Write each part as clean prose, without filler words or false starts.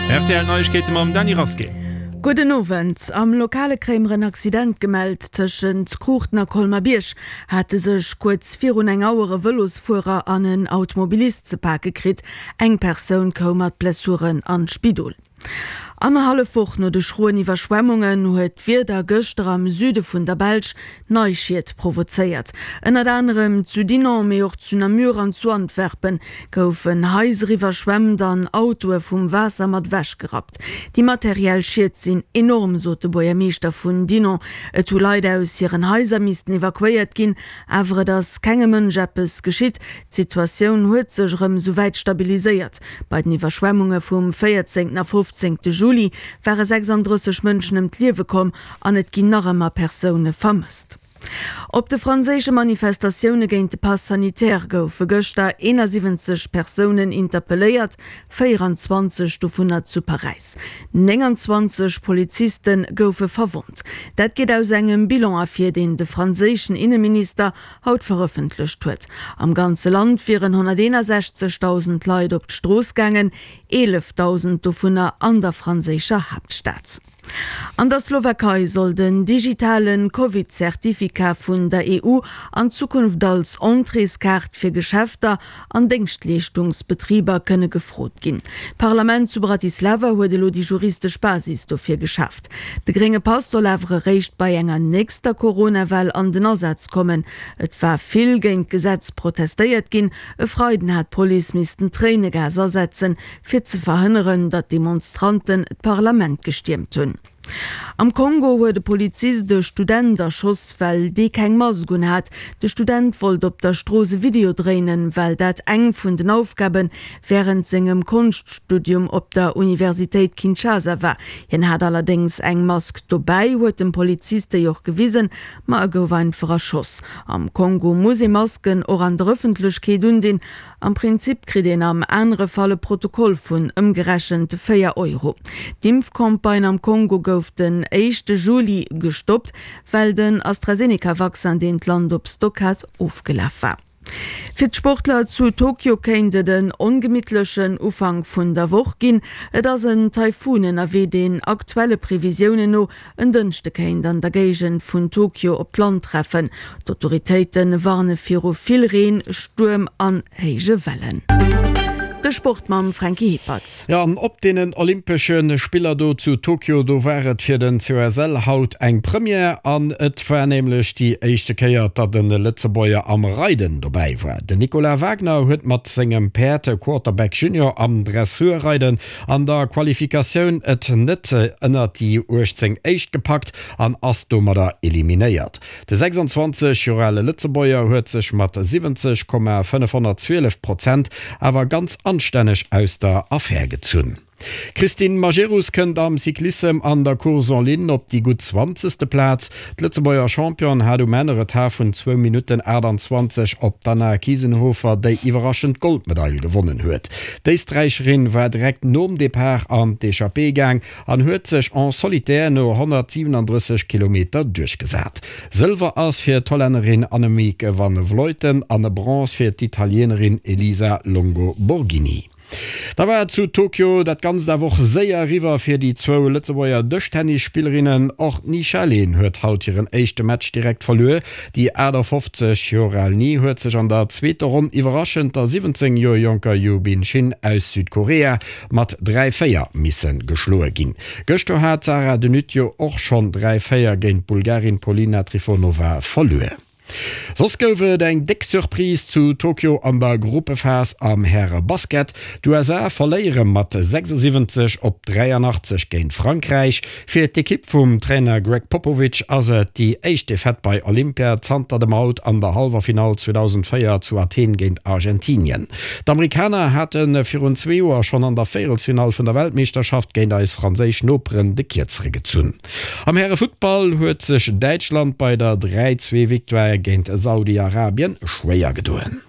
Rtl Neiegkeete mam Dany Rasqué. Gudden Owend. Am Lokale kréie mer en Accident gemellt. Tëschent Kruuchten a Colmer-Bierg hate sech kuerz virun eng Auer e Vëlosfuerer an en Automobilist ze pake kritt. Eng Persoun koum mat Blessuren an d'Spidol. Annerhallef Woch no de schroen Iwwerschwemmungen huet d'Wieder gëschter am Süde vun der Belsch nei Schied provozéiert. Ënnert anerem zu Dinant, mee och zu Namur an zu Antwerpen goufen Haiser iwwerschwemmt an Autoe vum Waasser mat ewech gerappt. Déi materiell Schied sinn enorm, sot de Buergermeeschter vun Dinant. Et hu Leit aus hiren Haiser missten evakuéiert ginn, Awer et ass kengem Mënsch eppes geschitt. D'Situatioun huet sech erëm souwäit stabiliséiert. Bei den Iwwerschwemmunge vum 14 a 15 Juli ware 36 Mënschen ëm d'Liewe komm an et ginn nach ëmmer Persoune vermësst. Op de franséische Manifestatioune géint de Pass sanitaire goufe gëschter 71 Persounen interpelléiert, 24 dovunner zu Paräis. 29 Poliziste goufe verwonnt. Dat geet aus engem Bilan ervir, deen de franséischen Inneminister haut verëffentlecht huet. Am ganze Land wieren 161.000 Leit op d'Strooss gaangen, 11.000 dovunner an der franséischer Haaptstad. An der Slowakei soll den digitale Covid-Certificat vun der EU an Zukunft als Entréeskaart fir Geschäfter an Déngschtleeschtungsbetriber kënne gefrot ginn. D'Parlament zu Bratislava huet elo déi juristesch Basis dofir geschaaft. De grénge Pass soll awer eréischt bei enger nächster Corona-Well an den Asaz kommen. Et war vill géint d'Gesetz protestéiert ginn. E Freiden hat d'Police missten Tréinegas asetzen, fir ze verhënneren, datt Demonstranten d'Parlament gestiermt hunn. Am Kongo huet e Polizist e Student erschoss, well dee keng Mask un hat. De Student wollt op der Strooss e Video dréinen, well dat eng vun den Aufgabe wärend sengem Konschtstudium op der Universitéit Kinshasa war. Hien hat allerdéngs eng Mask dobäi, huet dem Polizist déi och gewisen, ma e gouf einfach erschoss. Am Kongo muss ee Masken och an der Ëffentlechkeet undinn. Am Prinzip kritt een am anere Fall e Protokoll vun ëmgerechent 4 Euro. D'Impfcampagne am Kongo gouf den éischte Juli gestoppt, well den AstraZeneca-Vaccin, deen d'Land op Stock hat, ofgelaf war. Fir d'Sportler zu Tokio kéint et en ongemittlechen Ufank vun der Woch ginn. Et ass en Taifun ënnerwee, deen aktuelle Previsiounen no En Dënschde kéint an der Géigend vun Tokio op d'Land treffen. D'Autoritéite warne viru vill Reen, Stuerm an héije Wellen. De Sport mam Franky Hippert. Jo, an op deenen Olympesche Spiller do zu Tokio, do war et fir den COSL haut eng Première. An et war nämlech déi éischte Kéier, datt e Lëtzebuerger am Reiden dobäi war. Den Nicolas Wagner huet mat sengem Päerd Quarterback Junior am Dressurreiden An der Qualifikatioun et net ënnert déi 18 éischt gepackt an ass domadder eliminéiert. De 26 Joer ale Lëtzebuerger huet sech mat 70,512 Prozent awer ganz anstänneg aus der Affär gezunn. D'Christine Majerus kënnt am Cyclissem an der Course en ligne op déi gutt zwanzegste Plaz. D'Lëtzebuerger Championne hat um Enn e Retard vun zwou Minutten 28 op d'Anna Kiesenhofer, déi iwwerraschend d'Goldmedail gewonnen huet. D'Éisträicherin war direkt nom Depart an d'Echappée gaang an huet sech en solitaire no 137 Kilometer duerchgesat. Sëlwer ass fir d'Hollännerin Annemiek van Vleuten an Bronze fir d'Italienerin Elisa Longo Borghini. Da war et zu Tokio dat Ganzt awer och séier eriwwer fir déi zwou Lëtzebuerger Dëschtennisspillerinnen. Och d'Ni Xia-Lin huet haut hiren éischte Match direkt verluer. Déi 58 Joer al Ni huet sech an der zweeter Ronn iwwerraschend der 17 Joer jonker Yoo Bin Shin aus Südkorea mat 3, 4 misse geschloe ginn. Gëschter hat d'Sarah De Nutte jo och schonn 3, 4 géint d'Bulgarin Polina Trifonova verluer. Soss gouf et eng déck Surprise zu Tokio an der Gruppephas am Häre-Basket. D'USA verléiere mat 76 op 83 géint Frankräich. Fir d'Ekipp vum Trainer Gregg Popovich ass et déi éischt Defaite bei Olympia zanter dem Out an der Hallwerfinall 2004 zu Athen géint Argentinien. D'Amerikaner hate virun zwee Joer schonn an der Véierelsfinall vun der Weltmeeschterschaft géint eis franséisch Noperen de Kierzere gezunn. Am Härefuttball huet sech Däitschland bei der 3, 2 Victoire géint Saudi-Arabien schwéier gedoen.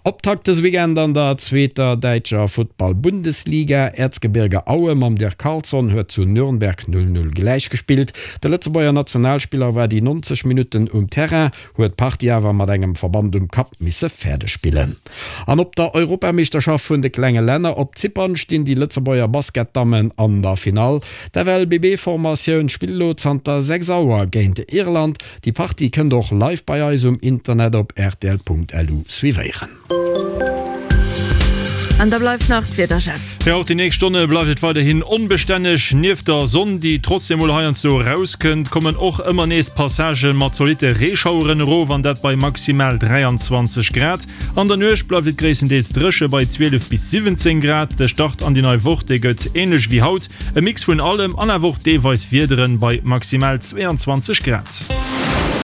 Optakt dëse Weekend an der zweeter däitscher Futtball-Bundesliga. Erzgebirge Aue mam Dirk Carlson huet zu Nürnberg 0, 0 gläichgespillt. De Lëtzebuerger Nationalspiller war déi 90 Minutten um Terrain, huet d'Partie awer mat engem Verband um Kapp misse fäerdeg spillen. An op der Europameeschterschaft vun de klenge Länner op Zypern stinn déi Lëtzebuerger Basketdammen an der Finall. D'FLBB-Formatioun spillt elo zanter 6 Auer géint Irland. Déi Partie kënnt och live bei eis um Internet op rtl.lu suivéieren. An da bleift nach d'Wieder, Jeff. Jo, och déi nächst Stonne bleift et weiderhin onbestänneg. Nieft der Sonn, déi trotzdeem mol heiansdo erauskënnt, kommen och ëmmer nees Passagë mat zolitte Reeschaueren erof, an dat bei maximal 23 Grad. An der Nuecht bleift et gréisstendeels dréche bei 12 bis 17 Grad. De Start an déi nei Woch, dee gëtt änlech wéi haut, e Mix vun allem an awer och deelweis Wiederen bei maximal 22 Grad.